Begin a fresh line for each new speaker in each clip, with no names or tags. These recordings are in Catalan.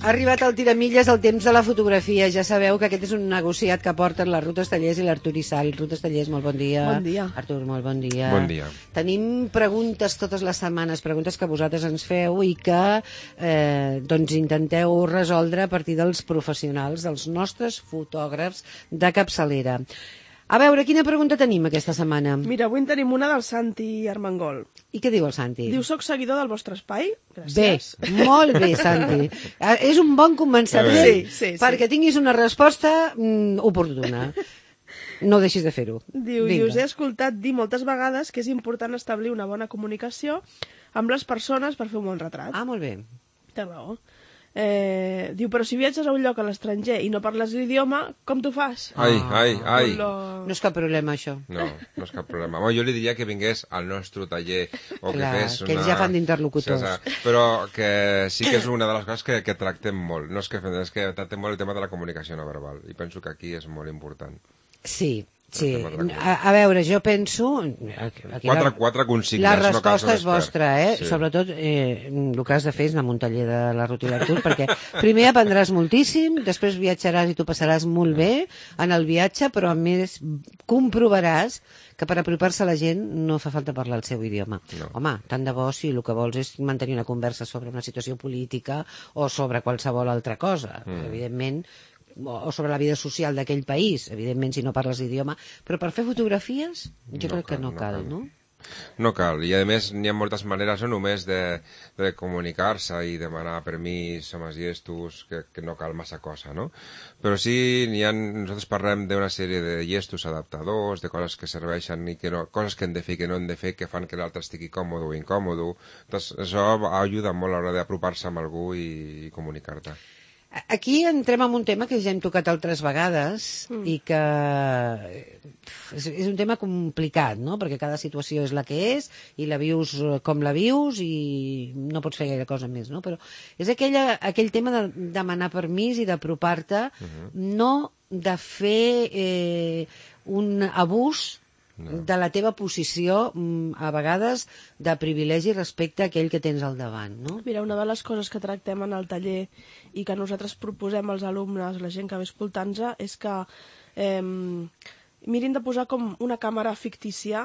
Ha arribat el tiramilles el temps de la fotografia. Ja sabeu que aquest és un negociat que porten la Ruth Estellers i l'Artur Issal. Ruth Estellers, molt bon dia.
Bon dia.
Artur, molt bon dia.
Bon dia.
Tenim preguntes totes les setmanes, preguntes que vosaltres ens feu i que doncs intenteu resoldre a partir dels professionals, dels nostres fotògrafs de capçalera. A veure, quina pregunta tenim aquesta setmana?
Mira, avui en tenim una del Santi Armengol.
I què diu el Santi?
Diu, soc seguidor del vostre espai.
Bé,
Gràcies.
molt bé, Santi. És un bon començament
Sí.
perquè tinguis una resposta oportuna. No deixis de fer-ho.
Diu, i us he escoltat dir moltes vegades que és important establir una bona comunicació amb les persones per fer un bon retrat.
Ah, molt bé.
Té raó. Diu, però si viatges a un lloc a l'estranger i no parles l'idioma, com t'ho fas?
Ai.
No és cap problema, això.
No és cap problema. Home, jo li diria que vingués al nostre taller o
Clar,
que fes
que ells ja fan d'interlocutors.
Sí, però que sí que és una de les coses que tractem molt. No és que tractem molt el tema de la comunicació no verbal. I penso que aquí és molt important.
Sí. A veure, jo penso...
Quatre consignes.
La resposta és vostra,
Sí.
Sobretot el que has de fer és anar a un taller de la Ruth i l'Artur, perquè primer aprendràs moltíssim, després viatjaràs i t'ho passaràs molt bé en el viatge, però a més comprovaràs que per apropar-se a la gent no fa falta parlar el seu idioma.
No.
Home, tant de bo si el que vols és mantenir una conversa sobre una situació política o sobre qualsevol altra cosa. Evidentment, o sobre la vida social d'aquell país, evidentment si no parles l'idioma, però per fer fotografies jo crec que no cal, no?
No cal, i a més n'hi ha moltes maneres no només de comunicar-se i demanar permís amb els gestos, que no cal massa cosa, no? Però sí, nosaltres parlem d'una sèrie de gestos adaptadors, de coses que serveixen i que no, coses que hem de fer i que no hem de fer, que fan que l'altre estigui còmode o incòmode. Doncs això ajuda molt a l'hora d'apropar-se amb algú i comunicar-te.
Aquí entrem en un tema que ja hem tocat altres vegades i que és un tema complicat, no? Perquè cada situació és la que és i la vius com la vius i no pots fer gaire cosa més, no? Però és aquell tema de demanar permís i d'apropar-te, no de fer un abús de la teva posició, a vegades, de privilegi respecte a aquell que tens al davant, no?
Mira, una de les coses que tractem en el taller i que nosaltres proposem als alumnes, la gent que ve escoltant-nos, és que mirin de posar com una càmera fictícia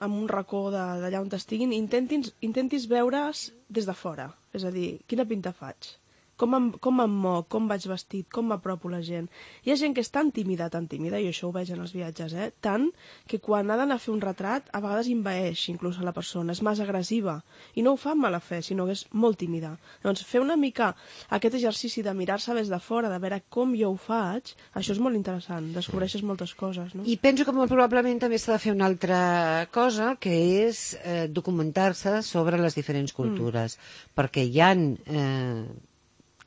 en un racó d'allà on estiguin i intentis veure's des de fora. És a dir, quina pinta faig? Com em moc, com vaig vestit, com m'apropo a la gent. Hi ha gent que és tan tímida, i això ho veig en els viatges, tant que quan ha d'anar a fer un retrat, a vegades envaeix inclús a la persona, és més agressiva, i no ho fa amb mala fe, sinó que és molt tímida. Llavors, fer una mica aquest exercici de mirar-se des de fora, de veure com jo ho faig, això és molt interessant, descobreixes moltes coses, no?
I penso que molt probablement també s'ha de fer una altra cosa, que és documentar-se sobre les diferents cultures, perquè hi ha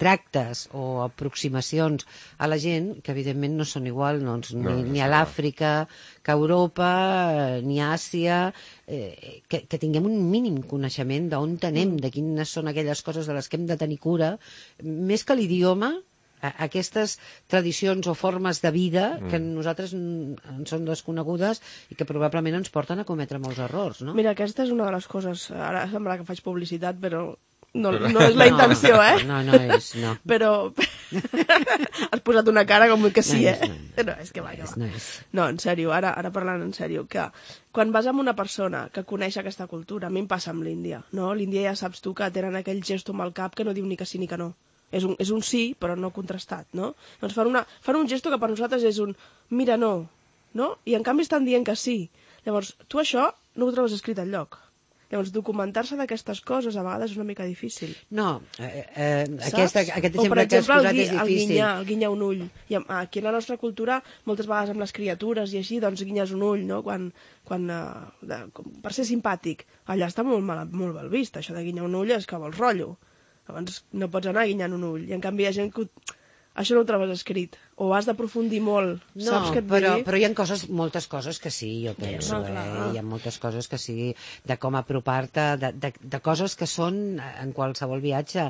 tractes o aproximacions a la gent que evidentment no són igual ni a l'Àfrica que a Europa, ni a Àsia, que tinguem un mínim coneixement d'on anem, de quines són aquelles coses de les que hem de tenir cura, més que l'idioma, aquestes tradicions o formes de vida que nosaltres ens són desconegudes i que probablement ens porten a cometre molts errors, no?
Mira, aquesta és una de les coses, ara sembla que faig publicitat, però no és la intenció,
No és, no.
Però has posat una cara com que sí, No, és que va. No, en sèrio, ara parlant en sèrio, que quan vas amb una persona que coneix aquesta cultura, a mi em passa amb l'Índia, no? L'Índia ja saps tu que tenen aquell gesto amb el cap que no diu ni que sí ni que no. És un sí, però no contrastat, no? Doncs fan un gesto que per nosaltres és un mira, no? I en canvi estan dient que sí. Llavors, tu això no ho trobes escrit enlloc. Llavors, documentar-se d'aquestes coses a vegades és una mica difícil.
No, aquest exemple que has posat és difícil.
El guinyar un ull. I aquí en la nostra cultura, moltes vegades amb les criatures i així, doncs guinyes un ull, no? Per ser simpàtic. Allà està molt mal vist, això de guinyar un ull és que vols rotllo. Llavors no pots anar guinyant un ull. I en canvi hi ha gent que això no ho trobes escrit. O has d'aprofundir molt.
No, però hi ha moltes coses que sí, jo penso. Hi ha moltes coses que sí, de com apropar-te, de coses que són en qualsevol viatge.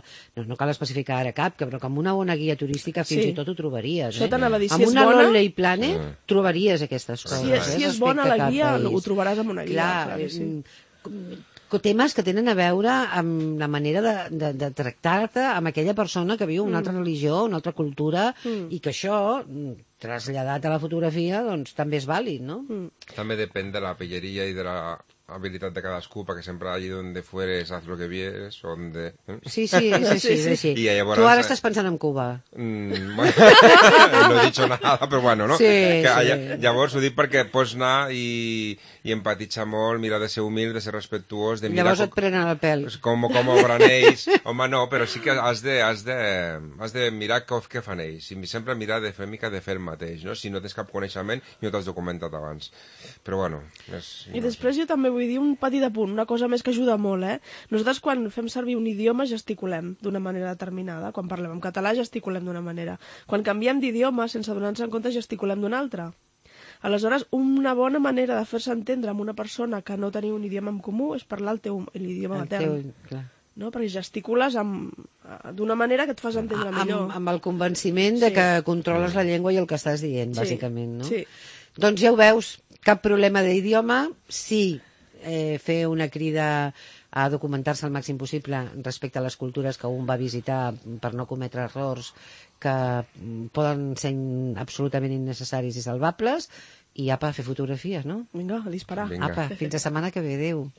No cal especificar ara cap, però que amb una bona guia turística fins i tot ho trobaries.
Això t'anava a dir,
amb una Lonely Planet trobaries aquestes coses.
Si és bona la guia, ho trobaràs amb una guia.
Clar, temes que tenen a veure amb la manera de tractar-te amb aquella persona que viu una altra religió, una altra cultura, i que això, traslladat a la fotografia, doncs també és vàlid, no?
També depèn de la pilleria i de la habilitat de cadascú, perquè sempre allí donde fueres haz lo que vieres, donde...
Sí, és així.
I llavors,
tu ara estàs pensant en Cuba.
Bueno, no he dicho nada, però bueno, no? Llavors ho dic perquè pots anar i empatitzar molt, mirar de ser humil, de ser respectuós, de mirar...
Llavors et prenen el pèl.
Com obren ells. Home, no, però sí que has de mirar què fan ells. I sempre mirar de fer mica de fer el mateix, no? Si no tens cap coneixement i no t'has documentat abans. Però bueno...
I després jo també vull dir un petit apunt, una cosa més que ajuda molt, Nosaltres quan fem servir un idioma gesticulem d'una manera determinada. Quan parlem en català gesticulem d'una manera. Quan canviem d'idioma, sense donar-nos en compte, gesticulem d'una altra. Aleshores, una bona manera de fer-se entendre amb una persona que no teniu un idioma en comú és parlar l'idioma matern. No? Perquè gesticules d'una manera que et fas entendre millor.
Amb el convenciment de que controles la llengua i el que estàs dient, bàsicament, no?
Sí.
Doncs ja ho veus, cap problema d'idioma, sí, fer una crida a documentar-se el màxim possible respecte a les cultures que un va visitar per no cometre errors que poden ser absolutament innecessaris i salvables, i apa, fer fotografies, no?
Vinga, a disparar.
Apa, fins la setmana que ve, adéu.